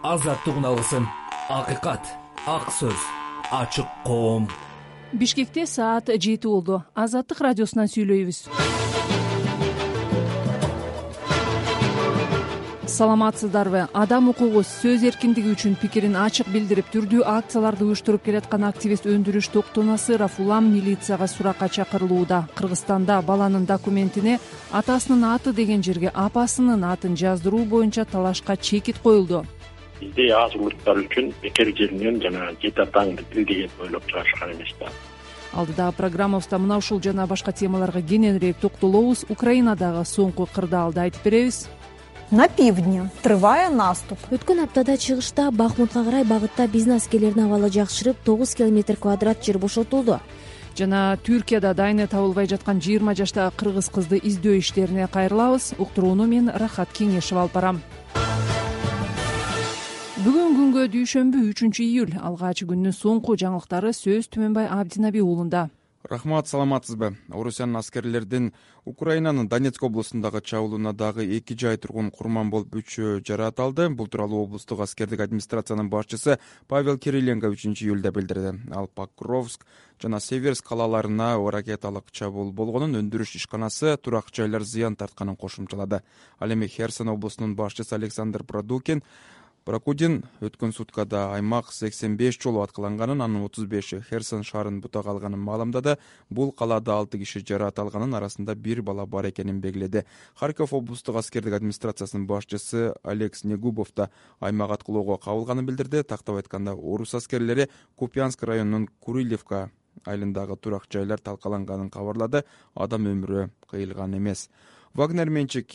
азаттык үналысын, акыйкат, ак сөз, ачык коом. Бишкекте саат 7 болду. Азаттык радиосунан сүйлөйбүз. Саламатсыздарбы? Адам укугу, сөз эркиндиги үчүн пикирин ачык билдирип, түрдүү акцияларды уюштуруп келаткан активист Өндүрүш Токтонасыров улам милицияга суракка чакырылууда. Кыргызстанда баланын документине атасынын аты деген жерге апасынын атын жаздыруу боюнча талашка чекит коюлду. Бизде аз улуттар үчүн бекер жеринен жана жети атаңды бил деген ойлоп чыгарышкан эмес да. Алдыда программабызда мына ушул жана башка темаларга кененирээк токтолобуз. Украинадагы соңку кырдаалды айтып беребиз. На пивдне трывая наступ. Өткөн аптада чыгышта Бахмутка карай багытта биздин аскерлердин абалы жакшырып, 9 километр квадрат жер бошотулду. Жана Түркияда дайыны табылбай жаткан 20 жаштагы кыргыз кызды издөө иштерине кайрылабыз. Уктурууну мен Рахат Кеңешев алып барам. Бүгүн күнгө дүйшөмбү 3-июль алгач күндүн соңку жаңылыктары сөз Түмөнбай Абдинаби уулунда. Рахмат, саламатсызбы? Орусиянын аскерлердин Украинанын Донецк облусундагы чабуулуна дагы 2 жай тургун курман болуп 3 жаратылды. Бул тууралуу облустук аскердик администрациянын башчысы Павел Кириленко 3-июлда билдирди. Ал Покровск жана Северск калаларына ракеталык чабуул болгонун, өндүрүш ишканасы, турак жайлар зыян тартканын кошумчалады. Ал эми Херсон облусунун башчысы Александр Прокудин өткөн суткада аймак 85 жолу аткыланганын, анын 35 Херсон шаарын бутак алганын маалымдады. Бул калаада 6 киши жаратылганын, арасында 1 бала бар экенин белгиледи. Харьков облустук аскердик администрациясынын башчысы Алекс Негубов да аймак аткылоого кабылганын билдирди. Тактап айтканда, орус аскерлери Купянск районунун Курилевка айылындагы турак жайлар талкаланганын кабарлады. Адам өмүрү кыйылган эмес. Вагнер менчик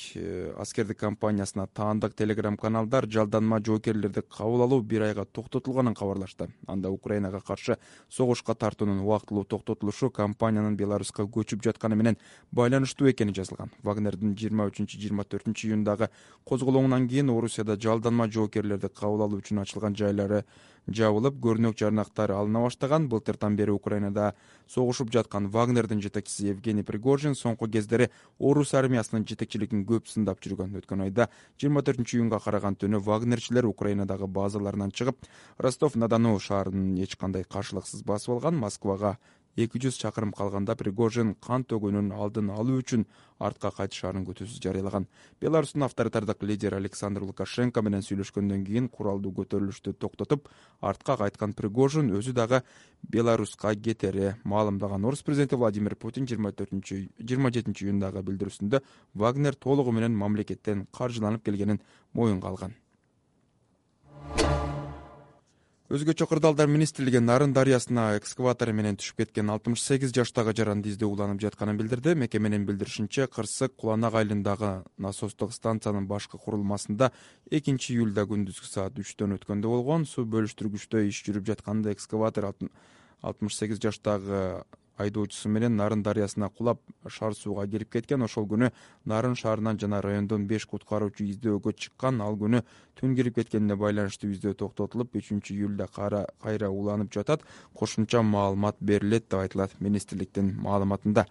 аскердик компаниясына таандык телеграм-каналдар жалданма жоокерлерди кабыл алуу 1 айга токтотулганын кабарлашты. Анда Украинага каршы согушка тартуунун убактылуу токтотулушу компаниянын Беларуска көчүп жатканы менен байланыштуу экени жазылган. Вагнердин 23-24 июндагы козголоңунан кийин Орусияда жалданма жоокерлерди кабыл алуу үчүн ачылган жайлары жабылып, көрүнөк жарнактар алына баштаган. Былтыртан бери Украинада согушуп жаткан Вагнердин жетекчиси Евгений Пригожин соңку кездери орус армиясынын жетекчилигин көп сындап жүргөн. Өткөн айда 24 июнга караган түнү Вагнерчилер Украинадагы базаларынан чыгып, Ростов-на-Дону шаарын эч кандай каршылыксыз басып алган. Москвага 200 чакырым калганда Пригожин кан төгүүнүн алдын алуу үчүн артка кайтышаарын күтүүсүз жарыялаган. Беларустун авторитардык лидери Александр Лукашенко менен сүйлөшкөндөн кийин куралдуу көтөрүлүштү токтотуп, артка кайткан Пригожин өзү дагы Беларуска кетери маалымдаган. Орус президенти Владимир Путин 27 июндагы билдирүүсүндө Вагнер толугу менен мамлекеттен каржыланып келгенин моюнга алган. Өзгөчө кырдаалдар министрлиги Нарын дарыясына экскаватор менен түшүп кеткен 68 жаштагы жаранды издөө уланып жатканын билдирди. Мекеменин билдиришинче, Кырсык Куланак айылындагы насостук станциянын башкы курулмасында 2-июлда күндүзгү саат 3-төн өткөндө болгон. Суу бөлүштүргүчтө иш жүрүп жатканда экскаватор 68 жаштагы айдоочусу менен Нарын дарыясына кулап, шаар сууга кирип кеткен. Ошол күнү Нарын шаарынан жана райондон 5 куткаруучу издөөгө чыккан. Ал күнү түн кирип кеткенине байланыштуу издөө токтотулуп, 3-июлда кайра уланып жатат. Кошумча маалымат берилет деп айтылат министрликтин маалыматында.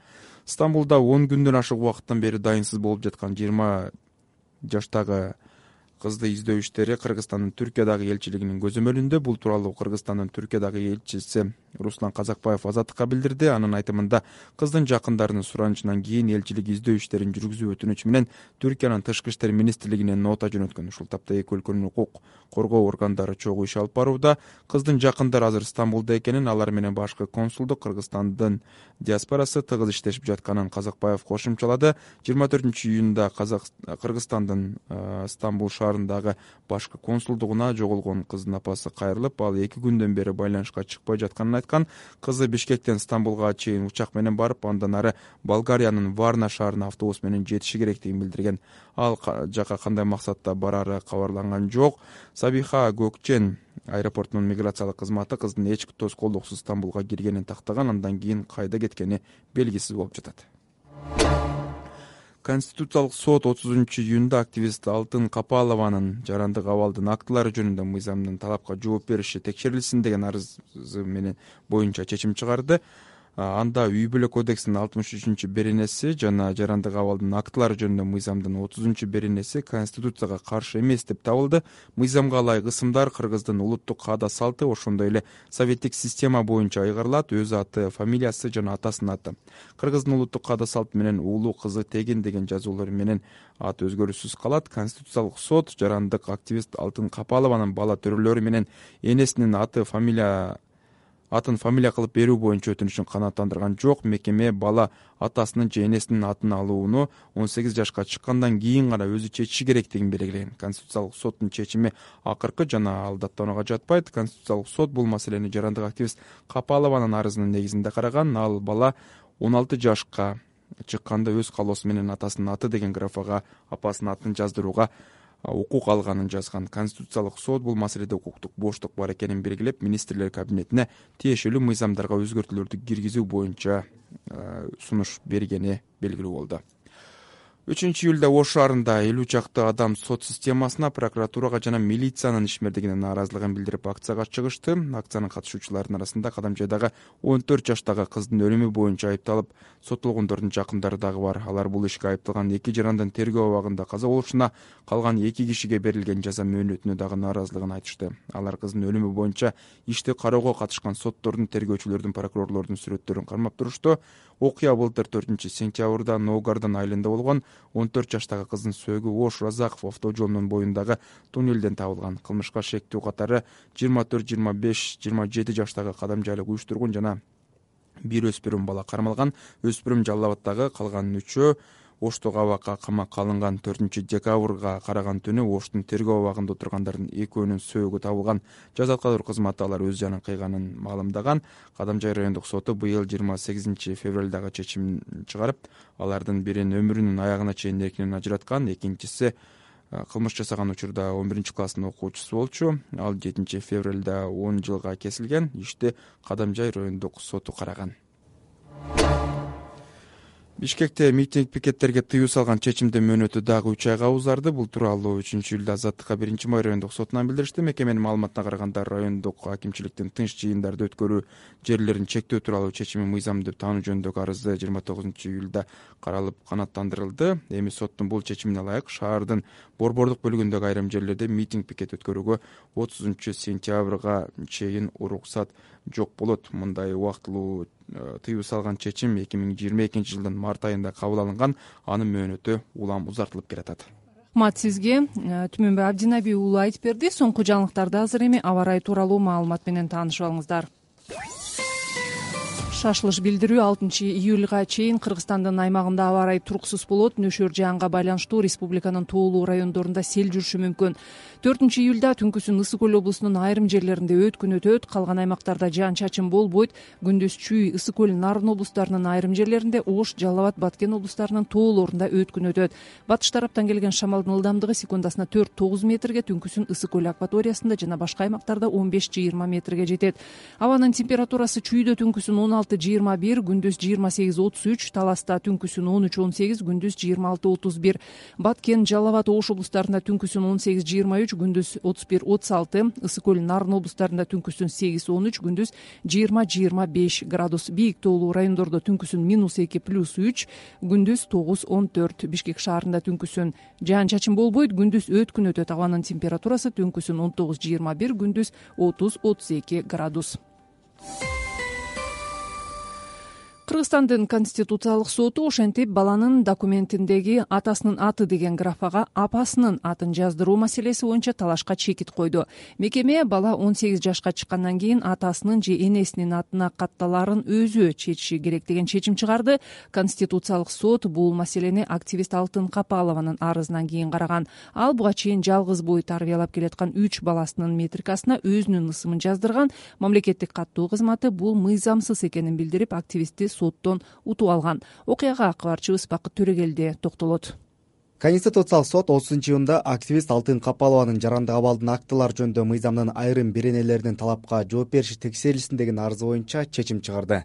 Стамбулда 10 күндөн ашык убакыттан бери дайынсыз болуп жаткан 20 жаштагы кызды издөө иштери Кыргызстандын Түркиядагы элчилигинин көзөмөлүндө. Бул тууралуу Кыргызстандын Түркиядагы элчиси Руслан Казакбаев Азаттыкка билдирди. Анын айтымында, кыздын жакындарынын суранычынан кийин элчилик издөө иштерин жүргүзүү өтүнүчү менен Түркиянын тышкы иштер министрлигине нота жөнөткөн. Ушул тапта эки өлкөнүн укук коргоо органдары чогуу иш алып барууда. Кыздын жакындары азыр Стамбулда экенин, алар менен башкы консулдук, Кыргызстандын диаспорасы тыгыз иштешип жатканын Казакбаев кошумчалады. 24 июнда Кыргызстандын Стамбул шаарындагы башкы консулдугуна жоголгон кыздын апасы кайрылып, ал 2 күндөн бери байланышка чыкпай жатканын айткан. Кызы Бишкектен Стамбулга чейин учак менен барып, андан ары Болгариянын Варна шаарына автобус менен жетиши керектигин билдирген. Ал жака кандай максатта барары кабарланган жок. Сабиха Көкчен аэропортунун миграциялык кызматы кыздын эч тоскоолдуксуз Стамбулга киргенин тактаган, андан кийин кайда кеткени белгисиз болуп жатат. Конституциялык сот 30 июнда активист Алтын Капалованын жарандык абалдын актылары жөнүндө мыйзамдын талапка жооп бериши текшерилсин деген арызы менен боюнча чечим чыгарды. Анда үй бүлө кодексинин 63 беренеси жана жарандык абалдын актылары жөнүндө мыйзамдын 30 беренеси Конституцияга каршы эмес деп табылды. Мыйзамга ылайык ысымдар кыргыздын улуттук каада салты, ошондой эле советтик система боюнча айгарылат. Өз аты, фамилиясы жана атасынын аты. Кыргыздын улуттук каада салты менен уулу, кызы, тегин деген жазуулар менен аты өзгөрүүсүз калат. Конституциялык сот жарандык активист Алтын Капалованын бала төрөлөрү менен энесинин атын фамилия кылып берүү боюнча өтүнүшүн канааттандырган жок. Мекеме бала атасынын же энесинин атын алууну 18 жашка чыккандан кийин гана өзү чечиши керектигин белгилеген. Конституциялык соттун чечими акыркы жана ал даттоонууга жатпайт. Конституциялык сот бул маселени жарандык активист Капалованын арызынын негизинде караган. Ал бала 16 жашка чыкканда өз каалоосу менен атасынын аты деген графага апасынын атын жаздырууга укук алганын жазган. Конституциялык сот бул маселеде укуктук боштук бар экенин белгилеп, министрлер кабинетине тиешелүү мыйзамдарга өзгөртүүлөрдү киргизүү боюнча сунуш бергени белгилүү болду. 3-июлда Ош шаарында 50 чакты адам сот системасына, прокуратурага жана милициянын ишмердигине нааразылыгын билдирип акцияга чыгышты. Акциянын катышуучуларынын арасында Кадамжайдагы 14 жаштагы кыздын өлүмү боюнча айыпталып соттолгондордун жакындары дагы бар. Алар бул ишке айыпталган 2 жарандын тергөө абагында каза болушуна, калган 2 кишиге берилген жаза мөөнөтүнө дагы нааразылыгын айтышты. Алар кыздын өлүмү боюнча ишти кароого катышкан соттордун, тергөөчүлөрдүн, прокурорлордун сүрөттөрүн кармап турушту. Окуя былтыр 4-сентябрда Ноугардан айылында болгон. 14 жаштагы кыздын сөөгү Ош Разаков автожолунун боюндагы туннелден табылган. Кылмышка шектүү катары 24, 25, 27 жаштагы Кадамжайлык уюштургун жана бир өспүрүм бала кармалган. Өспүрүм Жалал Абаддагы, калган 3-өө Оштогу абакка камакка алынган. 4-декабрга караган түнү Оштун тергөө абагында отургандардын экөөнүн сөөгү табылган. Жаза аткаруу кызматы алар өз жанын кыйганын маалымдаган. Кадамжай райондук соту быйыл 28 февралдагы чечим чыгарып, алардын бирин өмүрүнүн аягына чейин эркинен ажыраткан, экинчиси кылмыш жасаган учурда 11-класстын окуучусу болчу. Ал 7 февралда 10 жылга кесилген. Ишти Кадамжай райондук соту караган. Бишкекте митинг пикеттерге тыюу салган чечимдин мөөнөтү дагы 3 айга узарды. Бул тууралуу 3-июлда Азаттыкка 1-май райондук сотунан билдиришти. Мекеменин маалыматына караганда, райондук акимчиликтин тынч жыйындарды өткөрүү жерлерин чектөө тууралуу чечими мыйзам деп таануу жөнүндөгү арызы 29-июлда каралып канааттандырылды. Эми соттун бул чечимине ылайык шаардын борбордук бөлүгүндөгү айрым жерлерде митинг пикет өткөрүүгө 30 сентябрга чейин уруксат жок болот. Мындай убактылуу тыюу салган чечим 2022 жылдын март айында кабыл алынган. Анын мөөнөтү улам узартылып келатат. Рахмат сизге. Түмөнбай Абдинаби уулу айтып берди. Соңку жаңылыктарды азыр эми аба ырайы тууралуу маалымат менен таанышып алыңыздар. Шашылыш билдирүү 6-июлга чейин Кыргызстандын аймагында аба ырайы туруксуз болот. Нөшөр жаанга байланыштуу республиканын тоолуу райондорунда сел жүрүшү мүмкүн. 4-июлда түнкүсүн Ысык көл облусунун айрым жерлеринде өткүн өтөт. Калган аймактарда жаан чачын болбойт. Күндүз Чүй, Ысык көл, Нарын облустарынын айрым жерлеринде, Ош, Жалал Абад, Баткен облустарынын тоолорунда өткүн өтөт. Батыш тараптан келген шамалдын ылдамдыгы секундасына 4-9 метрге, түнкүсүн Ысык көл акваториясында жана башка аймактарда 15-20 метрге жетет. Абанын температурасы Чүйдө түнкүсүн 16-21, күндүз 28-33, Таласта түнкүсүн 13-18, күндүз 26-31, Баткен, Жалал Абад, Ош облустарында түнкүсүн 18-23, күндүз 31-36, Ысык көл, Нарын облустарында түнкүсүн 8-13, күндүз 20-25 градус. Бийик тоолуу райондордо түнкүсүн -2, +3, күндүз 9-14. Бишкек шаарында түнкүсүн жаан чачын болбойт, күндүз өткүн өтөт. Абанын температурасы түнкүсүн 19-21, күндүз 30-32 градус. Кыргызстандын Конституциялык соту ошентип баланын документиндеги атасынын аты деген графага апасынын атын жаздыруу маселеси боюнча талашка чекит койду. Мекеме бала 18 жашка чыккандан кийин атасынын же энесинин атына катталаарын өзү чечиши керек деген чечим чыгарды. Конституциялык сот бул маселени активист Алтын Капалованын арызынан кийин караган. Ал буга чейин жалгыз бой тарбиялап келаткан 3 баласынын метрикасына өзүнүн ысымын жаздырган. Мамлекеттик каттоо кызматы бул мыйзамсыз экенин билдирип, активистти соттон утуп алган. Окуяга кабарчыбыз Бакыт Төрөгелди токтолот. Конституциялык сот 30-июнда активист Алтын Капалованын жарандык абалдын актылары жөнүндө мыйзамдын айрым беренелеринин талапка жооп бериши текшерилсин деген арызы боюнча чечим чыгарды.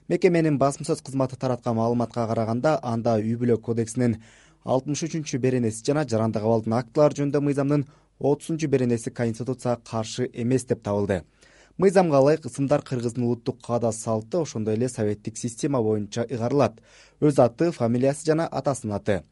Мекеменин басма сөз кызматы тараткан маалыматка караганда, анда үй бүлө кодексинин 63 беренеси жана жарандык абалдын актылары жөнүндө мыйзамдын 30 беренеси Конституцияга каршы эмес деп табылды. Мыйзамга ылайык ысымдар кыргыздын улуттук каада салты, ошондой эле советтик система боюнча ыйгарылат. Өз аты, фамилиясы жана атасынын аты.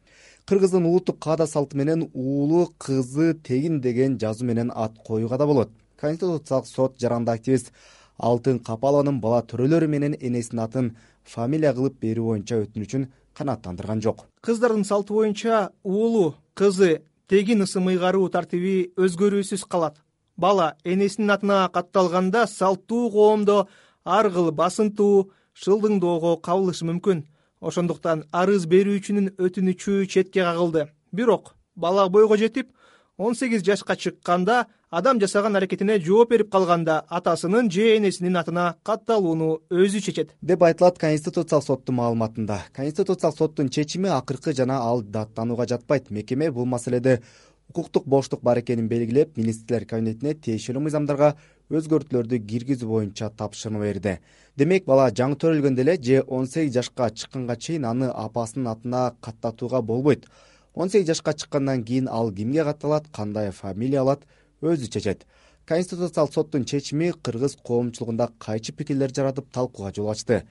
Кыргыздын улуттук каада салты менен уулу, кызы, тегин деген жазуу менен ат коюуга да болот. Конституциялык сот жаранды активист Алтын Капалованын бала төрөлөрү менен энесинин атын фамилия кылып берүү боюнча өтүнүчүн канааттандырган жок. Кыздардын салты боюнча уулу, кызы, тегин ысым ыйгаруу тартиби өзгөрүүсүз калат. Бала энесинин атына катталганда салттуу коомдо ар кыл басынтуу, шылдыңдоого кабылышы мүмкүн. Ошондуктан арыз берүүчүнүн өтүнүчү четке кагылды. Бирок бала бойго жетип 18 жашка чыкканда, адам жасаган аракетине жооп берип калганда атасынын же энесинин атына катталууну өзү чечет, деп айтылат Конституциялык соттун маалыматында. Конституциялык соттун чечими акыркы жана ал даттанууга жатпайт. Мекеме бул маселеде укуктук боштук бар экенин белгилеп, министрлер кабинетине тиешелүү мыйзамдарга өзгөртүүлөрдү киргизүү боюнча тапшырма берди. Демек, бала жаңы төрөлгөндө эле же 18 жашка чыкканга чейин аны апасынын атына каттатууга болбойт. 18 жашка чыккандан кийин ал кимге катталат, кандай фамилия алат, өзү чечет. Конституциялык соттун чечими кыргыз коомчулугунда кайчы пикирлер жаратып талкууга жол ачты.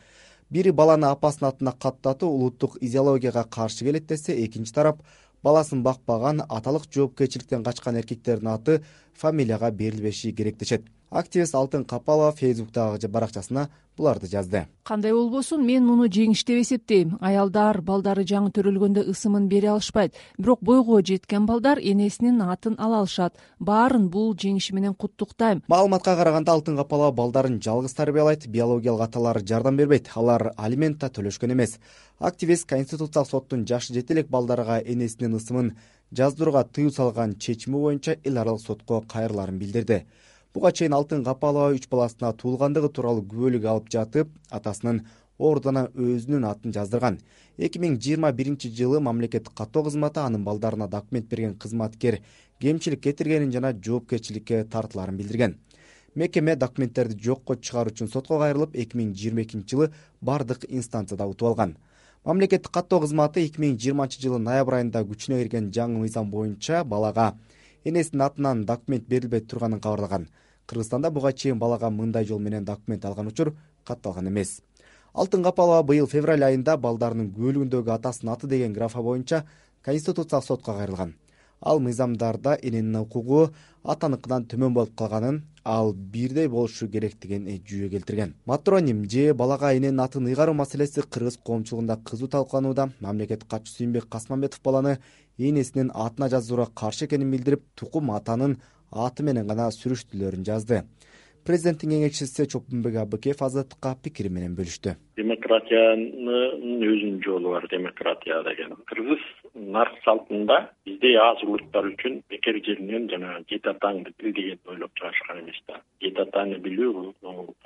Бири баланы апасынын атына каттатуу улуттук идеологияга каршы келет десе, экинчи тарап баласын бакпаган, аталык жоопкерчиликтен качкан эркектердин аты фамилияга берилбеши керек дешет. Активист Алтын Капалова Фейсбуктагы баракчасына буларды жазды. Кандай болбосун, мен муну жеңиш деп эсептейм. Аялдар балдары жаңы төрөлгөндө ысымын бере алышпайт. Бирок бойго жеткен балдар энесинин атын ала алышат. Баарын бул жеңиши менен куттуктайм. Маалыматка караганда Алтын Капалова балдарын жалгыз тарбиялайт, биологиялык аталары жардам бербейт. Алар алимент да төлөшкөн эмес. Активист Конституциялык соттун жашы жете элек балдарга энесинин ысымын жаздырууга тыюу салган чечими боюнча эл аралык сотко кайрыларын билдирди. Буга чейин Алтын Капалова 3 баласына туулгандыгы тууралуу күбөлүк алып жатып, атасынын ордуна өзүнүн атын жаздырган. 2021 жылы мамлекеттик каттоо кызматы анын балдарына документ берген кызматкер кемчилик кетиргенин жана жоопкерчиликке тартыларын билдирген. Мекеме документтерди жокко чыгаруу үчүн сотко кайрылып, 2022 жылы бардык инстанцияда утуп алган. Мамлекеттик каттоо кызматы 2020 жылы ноябрь айында күчүнө кирген жаңы мыйзам боюнча балага энесинин атынан документ берилбей турганын кабарлаган. Кыргызстанда буга чейин балага мындай жол менен документ алган учур катталган эмес. Алтын Капалова быйыл февраль айында балдарынын күбөлүгүндөгү атасынын аты деген графа боюнча Конституциялык сотко кайрылган. Ал мыйзамдарда эненин укугу атаныкынан төмөн болуп калганын, ал бирдей болушу керектигин жүйө келтирген. Матроним же балага эненин атын ыйгаруу маселеси кыргыз коомчулугунда кызуу талкууланууда. Мамлекет катчысы Сүйүнбек Касманбетов баланы энесинин атына жаздырууга каршы экенин билдирип, тукум атанын аты менен гана сүрүштүлөрүн жазды. Президенттин кеңешчиси Чопунбек Абыкеев Азаттыкка пикири менен бөлүштү. Демократиянын өзүнүн жолу бар, демократия деген. Кыргыз нарк салтында бизде аз улуттар үчүн бекер жеринен жана жети атаңды бил деген ойлоп чыгышкан эмес да. Жети атаны билүү,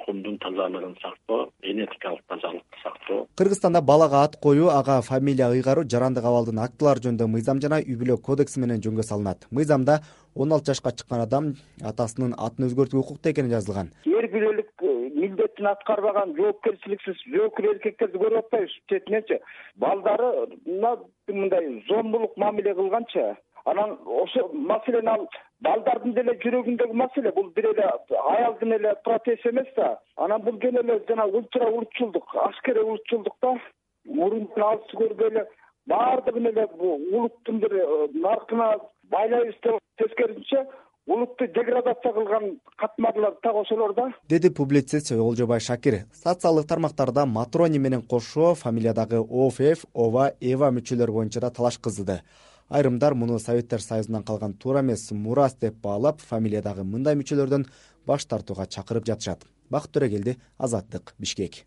коомдун тазалыгын сактоо, генетикалык тазалыкты сактоо. Кыргызстанда балага ат коюу, ага фамилия ыйгаруу жарандык абалдын актылары жөнүндө мыйзам жана үй-бүлө кодекси менен жөнгө салынат. Мыйзамда 16 жашка чыккан адам атасынын атын өзгөртүүгө укуктуу экени жазылган. Эр бирөлүк милдетин аткарбаган жоопкерчиликсиз жоокер эркектерди көрүп атпайбыз четиненчи. Балдары мындай зомбулук мамиле кылганчы. Анан ошо маселени ал балдардын деле жүрөгүндөгү маселе, бул бир эле аялдын эле протест эмес да. Анан бул кел эле жана ультра улутчулдук, аскери улутчулдук да. Мурунтан алыс көрбөй эле баардыгын эле улуттун бир наркына байлайбыз деп тескерисинче улутту деградация кылган катмарлар так ошолор да, деди публицист Олжобай Шакир. Социалдык тармактарда матрони менен кошо фамилиядагы ОФФ, ОВА, ЭВА мүчөлөр боюнча да талаш кызды. Айрымдар муну Советтер Союзунан калган туура эмес мурас деп баалап, фамилиядагы мындай мүчөлөрдөн баш тартууга чакырып жатышат. Бакыт Төрөгелди, Азаттык, Бишкек.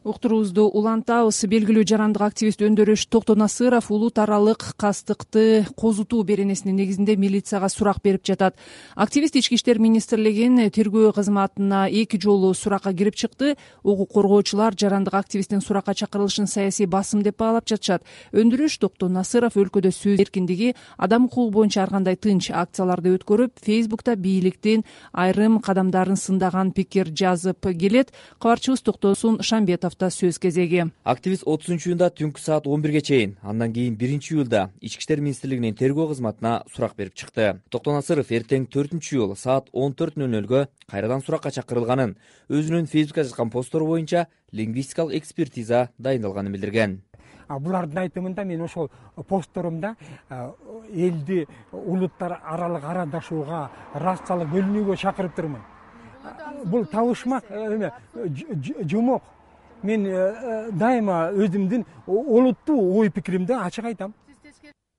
Уктуруубузду улантабыз. Белгилүү жарандык активист Өндөрөш Токтонасыров улут аралык кастыкты козутуу беренесинин негизинде милицияга сурак берип жатат. Активист Ички иштер министрлигинин тергөө кызматына 2 жолу суракка кирип чыкты. Укук коргоочулар жарандык активисттин суракка чакырылышын саясий басым деп баалап жатышат. Өндөрөш Токтонасыров өлкөдө сөз эркиндиги, адам укугу боюнча ар кандай тынч акцияларды өткөрүп, Фейсбукта бийликтин айрым кадамдарын сындаган пикир жазып келет. Кабарчыбыз Токтосун Шамбетов Касымовдо сөз кезеги. Активист 30-июнда түнкү саат 11ге чейин, андан кийин 1-июлда Ички иштер министрлигинин тергөө кызматына сурак берип чыкты. Токтонасыров эртең 4-июл саат 14:00 кайрадан суракка чакырылганын, өзүнүн Фейсбукка жазган посттору боюнча лингвистикалык экспертиза дайындалганын билдирген. Булардын айтымында мен ошол постторумда элди улуттар аралык арадашууга, расалык бөлүнүүгө чакырыптырмын. Бул табышмак жомок. Мен дайыма өзүмдүн олуттуу ой пикиримди ачык айтам.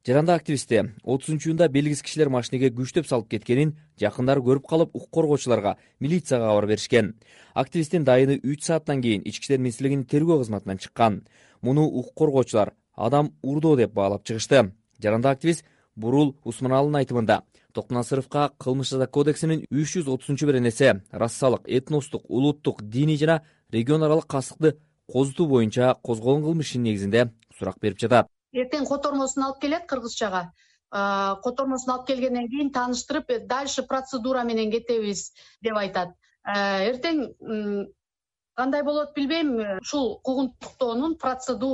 Жаранда активисти 30-июнда белгисиз кишилер машинеге күчтөп салып кеткенин жакындары көрүп калып, укук коргоочуларга, милицияга кабар беришкен. Активисттин дайыны 3 сааттан кийин Ички иштер министрлигинин тергөө кызматынан чыккан. Муну укук коргоочулар адам урдоо деп баалап чыгышты. Жаранда активист Бурул Усманалынын айтымында Токтонасыровго Кылмыш жаза кодексинин 330-беренеси расалык, этностук, улуттук, диний жана регион аралык кастыкты козутуу боюнча козголгон кылмыш ишинин негизинде сурак берип жатат. Эртең котормосун алып келет кыргызчага. Котормосун алып келгенден кийин тааныштырып, дальше процедура менен кетебиз деп айтат. Эртең кандай болот билбейм, ушул куугунтуктоонун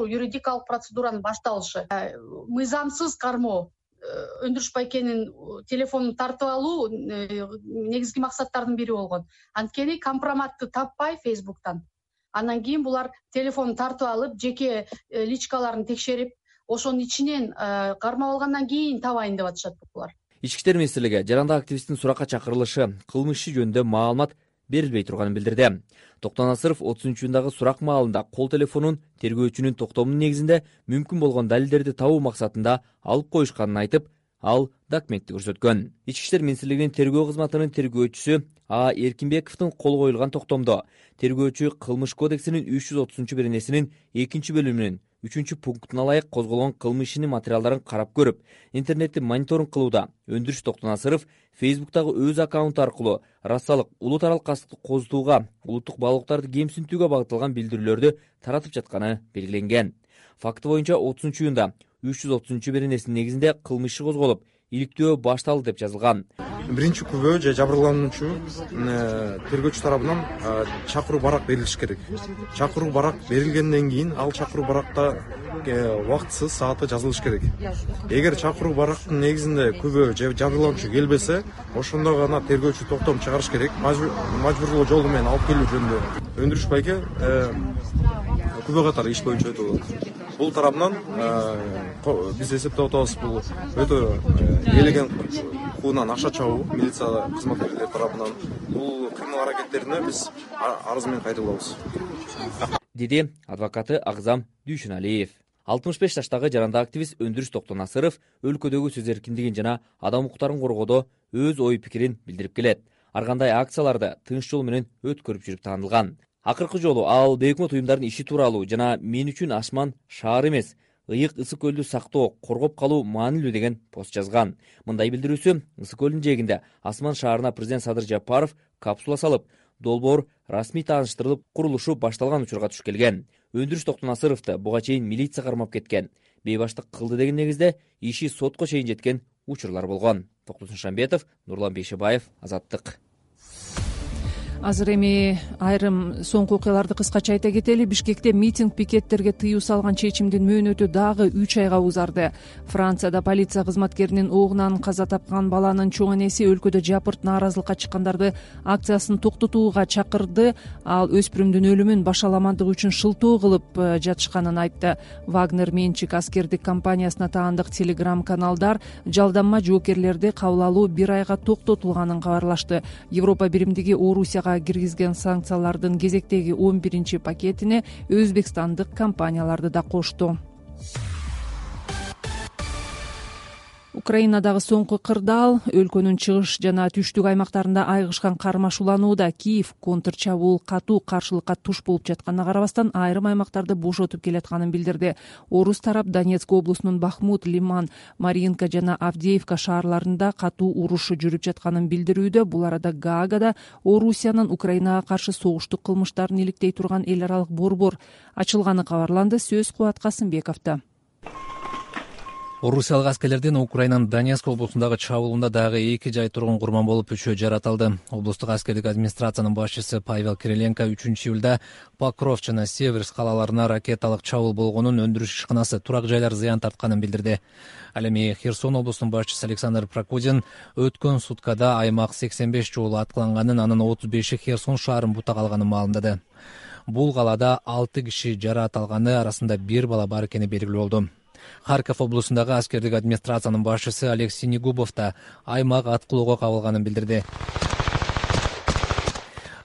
юридикалык процедуранын башталышы. Мыйзамсыз кармоо, Өндүрүш Байкенин телефонун тартып алуу негизги максаттардын бири болгон. Анткени компроматты таппай Фейсбуктан. Андан кийин булар телефонун тартып алып, жеке личкаларын текшерип, ошонун ичинен кармап алгандан кийин табайын деп атышат булар. Ички иштер министрлиги жаранда активисттин суракка чакырылышы, кылмыш иши жөнүндө маалымат берилбей турганын билдирди. Токтонасыров 30-июндагы сурак маалында кол телефонун тергөөчүнүн токтомунун негизинде мүмкүн болгон далилдерди табуу максатында алып коюшканын айтып, ал документти көрсөткөн. Ички иштер министрлигинин тергөө кызматынын тергөөчүсү А. Эркинбековдун кол коюлган токтомдо тергөөчү Кылмыш кодексинин 330-беренесинин 2-бөлүмүнүн 3-пунктуна ылайык козголгон кылмыш ишинин материалдарын карап көрүп, интернетти мониторинг кылууда Өндүрүш Токтонасыров Фейсбуктагы өз аккаунту аркылуу расалык, улут аралык кастыкты козутууга, улуттук баалуулуктарды кемсинтүүгө багытталган билдирүүлөрдү таратып жатканы белгиленген. Факты боюнча 30-июнда 330-беренесинин негизинде кылмыш иши козголуп, иликтөө башталды деп жазылган. Биринчи күбө же жабырлануучу тергөөчү тарабынан чакыруу барак берилиш керек. Чакыруу барак берилгенден кийин ал чакыруу баракта убактысыз сааты жазылыш керек. Эгер чакыруу барактын негизинде күбө же жабырлануучу келбесе, ошондо гана тергөөчү токтом чыгарыш керек. Мажбурлоо жолу менен алып келүү жөнүндө Өндүрүш Байке күбө катары иш боюнча өтүп атат. Бул тарабынан биз эсептеп атабыз, бул өтө элеген куунан акча чабуу милиция кызматкерлери тарабынан. Бул кырмыл аракеттерине биз арыз менен кайрылабыз, деди адвокаты Агзам Дүйшүналиев. 65 жаштагы жаранда активист Өндүрүш Токтонасыров өлкөдөгү сөз эркиндигин жана адам укуктарын коргоодо өз ой пикирин билдирип келет. Ар кандай акцияларды тынч жол менен өткөрүп жүрүп таанылган. Акыркы жолу ал бейөкмөт уюмдардын иши тууралуу жана мен үчүн Ашман шаар эмес, ыйык ысык көлдү сактоо, коргоп калуу маанилүү деген пост жазган. Мындай билдирүүсү ысык көлдүн жээгинде Асман шаарына президент Садыр Жапаров капсула салып, долбоор расмий тааныштырылып, курулушу башталган учурга туш келген. Өндүрүш Токтонасыровду буга чейин милиция кармап кеткен, бейбаштык кылды деген негизде иши сотко чейин жеткен учурлар болгон. Токтосун Шамбетов, Нурлан Бейшебаев, Азаттык. Азыр эми айрым соңку окуяларды кыскача айта кетели. Бишкекте митинг пикеттерге тыюу салган чечимдин мөөнөтү дагы 3 айга узарды. Францияда полиция кызматкеринин огунан каза тапкан баланын чоң энеси өлкөдө жапырт нааразылыкка чыккандарды акциясын токтотууга чакырды. Ал өспүрүмдүн өлүмүн башаламандык үчүн шылтоо кылып жатышканын айтты. Вагнер менчик аскердик компаниясына таандык телеграм-каналдар жалданма жоокерлерди кабыл алуу 1 айга токтотулганын кабарлашты. Европа биримдиги Орусияга киргизген санкциялардын кезектеги 11 пакетине өзбекстандык компанияларды да кошту. Украинадагы соңку кырдаал өлкөнүн чыгыш жана түштүк аймактарында айгышкан кармашууланууда. Киев контрчабуул катуу каршылыкка туш болуп жатканына карабастан айрым аймактарды бошотуп келатканын билдирди. Орус тарап Донецк облусунун Бахмут, Лиман, Маринка жана Авдеевка шаарларында катуу уруш жүрүп жатканын билдирүүдө. Бул арада Гаагада Орусиянын Украинага каршы согуштук кылмыштарын иликтей турган эл аралык борбор ачылганы кабарланды. Сөз Кубат Касымбековдо. Орусиялык аскерлердин Украинанын Донецк облусундагы чабуулунда дагы 2 жай тургун курман болуп 3-өө жаратылды. Облустук аскердик администрациянын башчысы Павел Кириленко 3-июлда Покров жана Северск калаларына ракеталык чабуул болгонун, өндүрүш ишканасы, турак жайлар зыян тартканын билдирди. Ал эми Херсон облусунун башчысы Александр Прокудин өткөн суткада аймак 85 жолу аткыланганын, анын 35-и Херсон шаарын бутак алганын маалымдады. Бул калаада 6 киши жараат алганы, арасында 1 бала бар экени белгилүү болду. Харьков облусундагы аскердик администрациянын башчысы Алексей Негубов да аймак аткылоого кабылганын билдирди.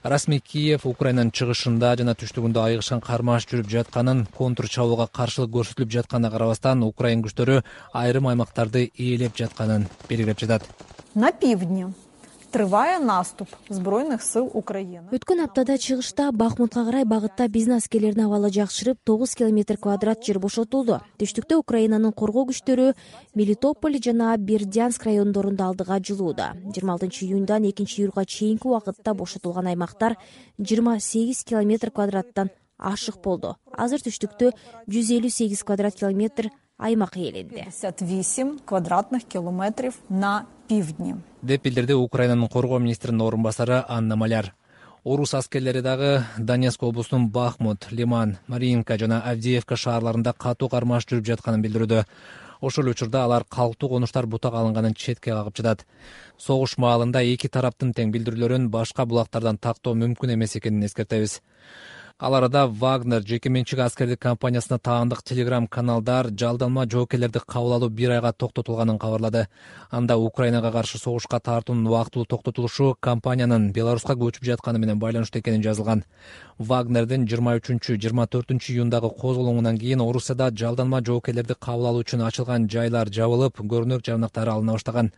Расмий Киев Украинанын чыгышында жана түштүгүндө айыгышкан кармаш жүрүп жатканын, контр чабуулга каршылык көрсөтүлүп жатканына карабастан, Украин күчтөрү айрым аймактарды ээлеп жатканын белгилеп жатат. На пивдне триває наступ Збройних сил України. Өткөн аптада чыгышта Бахмутка карай багытта бизнес аскерлеринин абалы жакшырып, 9 километр квадрат жер бошотулду. Түштүктө Украинанын коргоо күчтөрү Мелитополь жана Бердянск райондорунда алдыга жылууда. 26 июндан 2 июлга чейинки убакытта бошотулган аймактар 28 километр квадраттан ашык болду. Азыр түштүктө 158 квадрат километр аймак ээленди. 58 квадратных километров на пивдне. Деп билдирди Украинанын коргоо министринин орун басары Анна Маляр. Орус аскерлери дагы Донецк облусунун Бахмут, Лиман, Маринка жана Авдеевка шаарларында катуу кармаш жүрүп жатканын билдирүүдө. Ошол учурда алар калктуу конуштар бутак алынганын четке кагып жатат. Согуш маалында эки тараптын тең билдирүүлөрүн башка булактардан тактоо мүмкүн эмес экенин эскертебиз. Ал арада Вагнер жеке менчик аскердик компаниясына таандык телеграм-каналдар жалданма жоокерлерди кабыл алуу 1 айга токтотулганын кабарлады. Анда Украинага каршы согушка тартуунун убактылуу токтотулушу компаниянын Беларуска көчүп жатканы менен байланыштуу экени жазылган. Вагнердин 23-24 июндагы козголоңунан кийин Орусияда жалданма жоокерлерди кабыл алуу үчүн ачылган жайлар жабылып, көрүнөк жарнактары алына баштаган.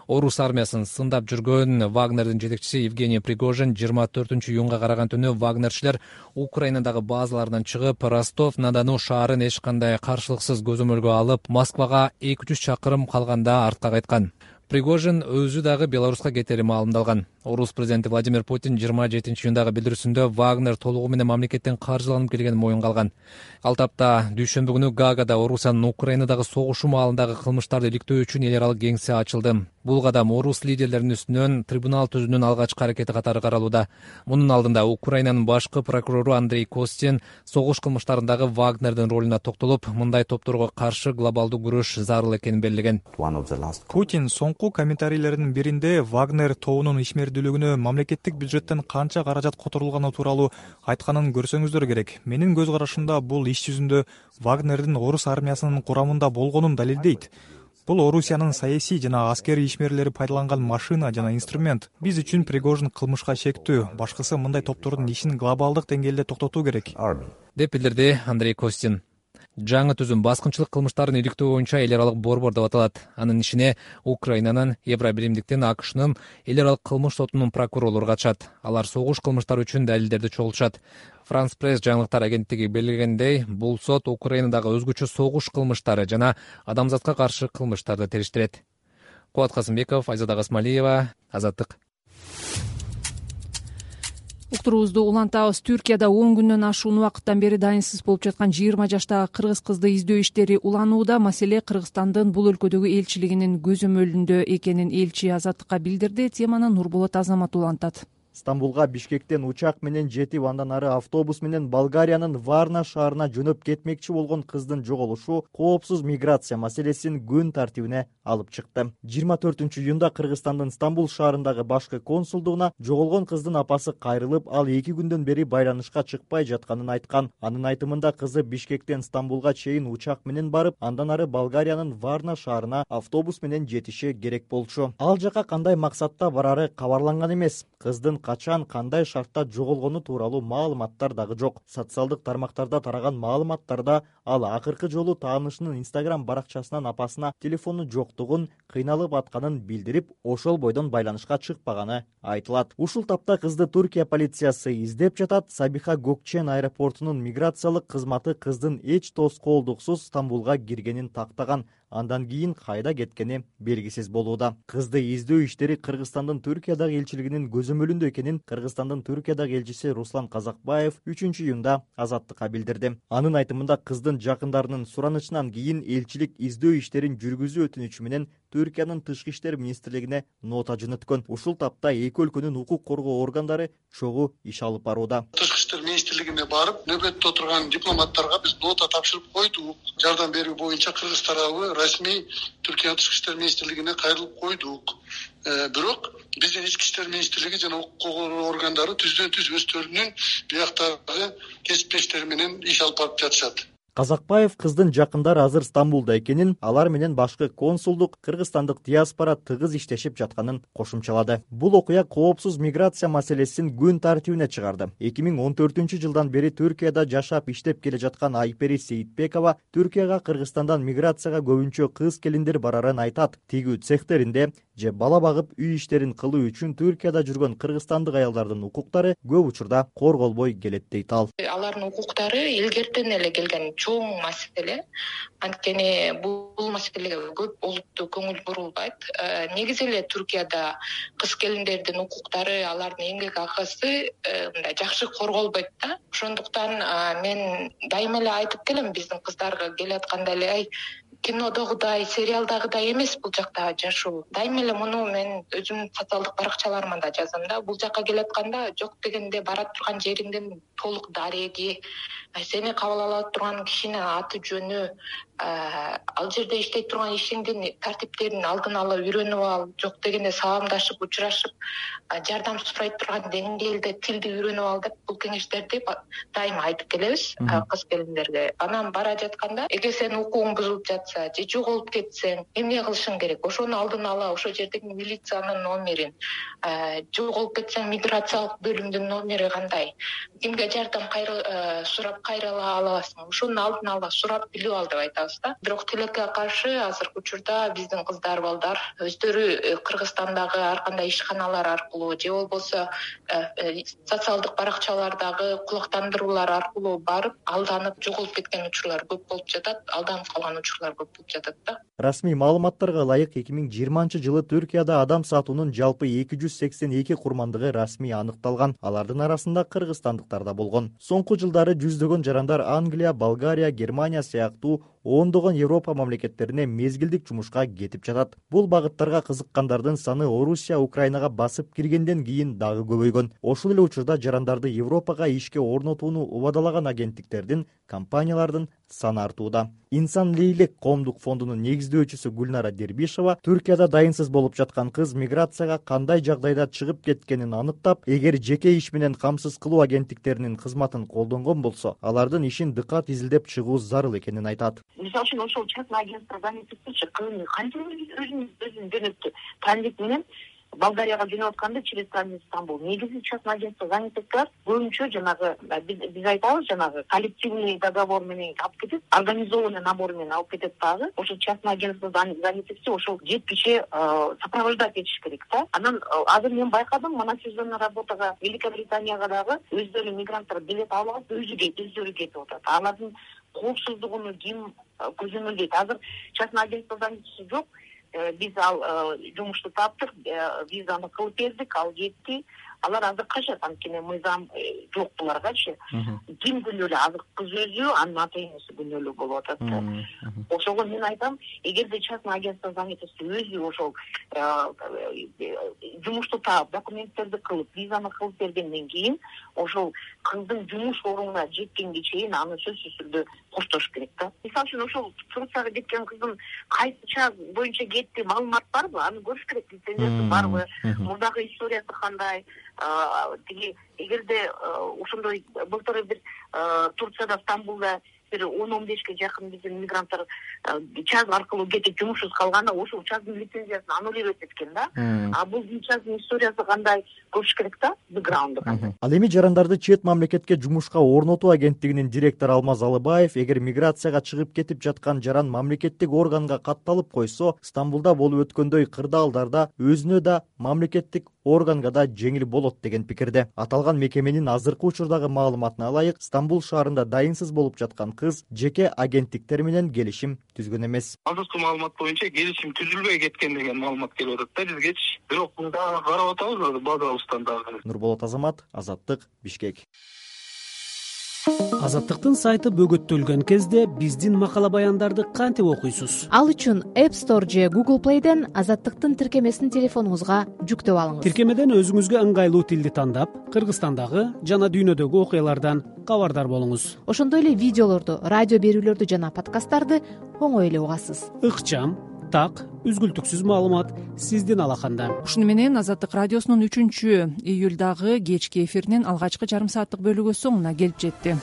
Орус армиясын сындап жүргөн Вагнердин жетекчиси Евгений Пригожин 24 июнга караган түнү Вагнерчилер Украинадагы базаларынан чыгып, Ростов-на-Дону шаарын эч кандай каршылыксыз көзөмөлгө алып, Москвага 200 чакырым калганда артка кайткан. Пригожин өзү дагы Беларуска кетери маалымдалган. Орус президенти Владимир Путин 27 июндагы билдирүүсүндө Вагнер толугу менен мамлекеттен каржыланып келгенин моюнга алган. Ал тапта дүйшөмбү күнү Гаагада Орусиянын Украинадагы согушу маалындагы кылмыштарды иликтөө үчүн эл аралык кеңсе ачылды. Бул кадам орус лидерлеринин үстүнөн трибунал түзүүнүн алгачкы аракети катары каралууда. Мунун алдында Украинанын башкы прокурору Андрей Костин согуш кылмыштарындагы Вагнердин ролуна токтолуп, мындай топторго каршы глобалдуу күрөш зарыл экенин белгилеген. Путин соңку комментарийлеринин биринде Вагнер тобунун ишмердүүлүгүнө мамлекеттик бюджеттен канча каражат которулганы тууралуу айтканын көрсөңүздөр керек. Менин көз карашымда бул иш жүзүндө Вагнердин орус армиясынын курамында болгонун далилдейт. Бул Орусиянын саясий жана аскерий ишмерлери пайдаланган машина жана инструмент. Биз үчүн Пригожин кылмышка шектүү, башкысы мындай топтордун ишин глобалдык деңгээлде токтотуу керек, деп билдирди Андрей Костин. Жаңы түзүм баскынчылык кылмыштарын иликтөө боюнча эл аралык борбор деп аталат. Анын ишине Украинанын, Евробиримдиктин, АКШнын эл аралык кылмыш сотунун прокурорлору катышат. Алар согуш кылмыштары үчүн далилдерди чогултушат. Франс Пресс жаңылыктар агенттиги белгилегендей, бул сот Украинадагы өзгөчө согуш кылмыштары жана адамзатка каршы кылмыштарды териштирет. Кубат Касымбеков, Айзада Гасмалиева, Азаттык. Уктуруубузду улантабыз. Түркияда 10 күндөн ашуун убакыттан бери дайынсыз болуп жаткан 20 жаштагы кыргыз кызды издөө иштери уланууда. Маселе Кыргызстандын бул өлкөдөгү элчилигинин көзөмөлүндө экенин элчи Азаттыкка билдирди. Теманы Нурболот Азамат улантат. Стамбулга Бишкектен учак менен жетип, андан ары автобус менен Болгариянын Варна шаарына жөнөп кетмекчи болгон кыздын жоголушу коопсуз миграция маселесин күн тартибине алып чыкты. 24 июнда Кыргызстандын Стамбул шаарындагы башкы консулдугуна жоголгон кыздын апасы кайрылып, ал 2 күндөн бери байланышка чыкпай жатканын айткан. Анын айтымында кызы Бишкектен Стамбулга чейин учак менен барып, андан ары Болгариянын Варна шаарына автобус менен жетиши керек болчу. Ал жака кандай максатта барары кабарланган эмес. Кыздын качан, кандай шартта жоголгону тууралуу маалыматтар дагы жок. Социалдык тармактарда тараган маалыматтарда ал акыркы жолу таанышынын Instagram баракчасынан апасына телефону жоктугун, кыйналып атканын билдирип, ошол бойдон байланышка чыкпаганы айтылат. Ушул тапта кызды Түркия полициясы издеп жатат. Сабиха Gökçen аэропортунун миграциялык кызматы кыздын эч тоскоолдуксуз Стамбулга киргенин тактаган. андан кийин кайда кеткени белгисиз болууда. Кызды издөө иштери Кыргызстандын Түркиядагы элчилигинин көзөмөлүндө экенин Кыргызстандын Түркиядагы элчиси Руслан Казакбаев 3-июнда Азаттыкка билдирди. Анын айтымында кыздын жакындарынын суранычынан кийин элчилик издөө иштерин жүргүзүү өтүнүчү менен Түркиянын Тышкы иштер министрлигине нота жөнөткөн. Ушул тапта эки өлкөнүн укук коргоо органдары чогуу иш алып барууда. Тышкы иштер министрлигине барып, нөбөттө отурган дипломаттарга биз нота тапшырып койдук. Жардам берүү боюнча Кыргыз тарабы расмий Түркия Тышкы иштер министрлигине кайрылып койдук. Бирок биздин ички иштер министрлиги жана укук коргоо органдары түздөн-түз өздөрүнүн бияктагы кесиптештери менен иш алып барып жатышат. Казакбаев кыздын жакындары азыр Стамбулда экенин, алар менен башкы консулдук, кыргызстандык диаспора тыгыз иштешип жатканын кошумчалады. Бул окуя коопсуз миграция маселесин күн тартибине чыгарды. 2014-жылдан бери Түркияда жашап иштеп келе жаткан Айпери Сейитбекова Түркияга Кыргызстандан миграцияга көбүнчө кыз келиндер барарын айтат. Тигүү цехтеринде же бала багып үй иштерин кылуу үчүн Түркияда жүргөн кыргызстандык аялдардын укуктары көп учурда корголбой келет дейт ал. Алардын укуктары илгертен эле келген чоң маселе. Анткени бул маселеге көп олуттуу көңүл бурулбайт. Негизи эле Түркияда кыз келиндердин укуктары, алардын эмгек акысы мындай жакшы корголбойт да. Ошондуктан мен дайыма эле айтып келем биздин кыздарга келатканда эле кинодогудай, сериалдагыдай эмес бул жакта жашоо. Дайыма эле муну мен өзүмдүн социалдык баракчаларыма да жазам да. Бул жакка келатканда жок дегенде бара турган жериңдин толук дареги, сени кабыл ала турган кишинин аты жөнү, ал жерде иштей турган ишиңдин тартиптерин алдын ала үйрөнүп ал, жок дегенде саламдашып, учурашып, жардам сурай турган деңгээлде тилди үйрөнүп ал деп бул кеңештерди дайыма айтып келебиз кыз келиндерге. Анан бара жатканда эгер сенин укугуң бузулуп жатса же жоголуп кетсең, эмне кылышың керек? Ошону алдын ала ошол жердеги милициянын номерин, жоголуп кетсең миграциялык бөлүмдүн номери кандай, кимге жардам сурап кайрыла аласың, ошонун алдын ала сурап билип ал деп айтабыз да. Бирок тилекке каршы азыркы учурда биздин кыздар балдар өздөрү Кыргызстандагы ар кандай ишканалар аркылуу же болбосо социалдык баракчалардагы кулактандыруулар аркылуу барып алданып жоголуп кеткен учурлар көп болуп жатат, алданып калган учурлар көп болуп жатат да. Расмий маалыматтарга ылайык 2020-жылы Түркияда адам сатуунун жалпы 282 курмандыгы расмий аныкталган. Алардын арасында кыргызстандыктар да болгон. Соңку жылдары жүздөгөн жарандар Англия, Болгария, Германия сыяктуу ондогон Европа мамлекеттерине мезгилдик жумушка кетип жатат. Бул багыттарга кызыккандардын саны Орусия, Украинага басып киргенден кийин дагы көбөйгөн. Ошол эле учурда жарандарды Европага ишке орнотууну убадалаган агенттиктердин, компаниялардын саны артууда. Инсан Лейлек коомдук фондунун негиздөөчүсү Гүлнара Дербишева Түркияда дайынсыз болуп жаткан кыз миграцияга кандай жагдайда чыгып кеткенин аныктап, эгер жеке иш менен камсыз кылуу агенттиктеринин кызматын колдонгон болсо, алардын ишин дыкат изилдеп чыгуу зарыл экенин айтат. Мисалы үчүн ошол частный агентство занятости кызын канча өзүн жөнөттү. Тандик менен Болгарияга жөнөп атканда через границу Стамбул. Негизи частный агентство занятостар көбүнчө жанагы биз айтабыз жанагы коллективный договор менен алып кетет, организованный набор менен алып кетет дагы. Ошо частный агентство занятости ошол жеткиче сопровождать этиш керек да. Анан азыр мен байкадым, мына сезонный работага Великобританияга дагы өздөрү мигранттар билет алып өздөрү кетип атат. Алардын коопсуздугуну ким көзөмөлдөйт? Азыр частный агентство занятости жок. Биз ал жумушту таптык, визаны кылып бердик, ал кетти. Алар азыр качат, анткени мыйзам жок буларгачы. Ким күнөөлүү? Азыр кыз өзү, анын ата энеси күнөөлүү болуп атат да. Ошого мен айтам, эгерде частный агентство занятости өзү ошол жумушту таап, документтерди кылып, визаны кылып бергенден кийин, ошол кыздын жумуш орнуна жеткенге чейин аны сөзсүз түрдө коштош керек да. Мисалы үчүн ошол Турцияга кеткен кыздын кайсы час боюнча кетти, маалымат барбы? Аны көрүш керек, лицензиясы барбы? Мурдагы историясы кандай? Тиги эгерде ошондой былтыр бир Турцияда, Стамбулда бир 10-15ке жакын биздин мигранттар час аркылуу кетип жумушсуз калганда ошол частын лицензиясын аннулировать эткен да. А бул частын историясы кандай көрүш керек да, бэкграунду кандай. Ал эми жарандарды чет мамлекетке жумушка орнотуу агенттигинин директору Алмаз Алыбаев эгер миграцияга чыгып кетип жаткан жаран мамлекеттик органга катталып койсо, Стамбулда болуп өткөндөй кырдаалдарда өзүнө да мамлекеттик органга да жеңил болот деген пикирде. Аталган мекеменин азыркы учурдагы маалыматына ылайык, Стамбул шаарында дайынсыз болуп жаткан кыз жеке агенттиктер менен келишим түзгөн эмес. Азыркы маалымат боюнча келишим түзүлбөй кеткен деген маалымат келип атат да бизгечи. Бирок дагы карап атабыз базабыздан дагы. Нурболот Азамат, Азаттык, Бишкек. Азаттыктын сайты бөгөттөлгөн кезде биздин макала баяндарды кантип окуйсуз? Ал үчүн App Store же Google Play'ден Азаттыктын тиркемесин телефонуңузга жүктөп алыңыз. Тиркемеден өзүңүзгө ыңгайлуу тилди тандап, Кыргызстандагы жана дүйнөдөгү окуялардан кабардар болуңуз. Ошондой эле видеолорду, радио берүүлөрдү жана подкасттарды оңой эле угасыз. Ыкчам, так, үзгүлтүксүз маалымат сиздин алаканда. Ушуну менен Азаттык радиосунун 3-июлдагы кечки эфиринин алгачкы жарым сааттык бөлүгү соңуна келип жетти.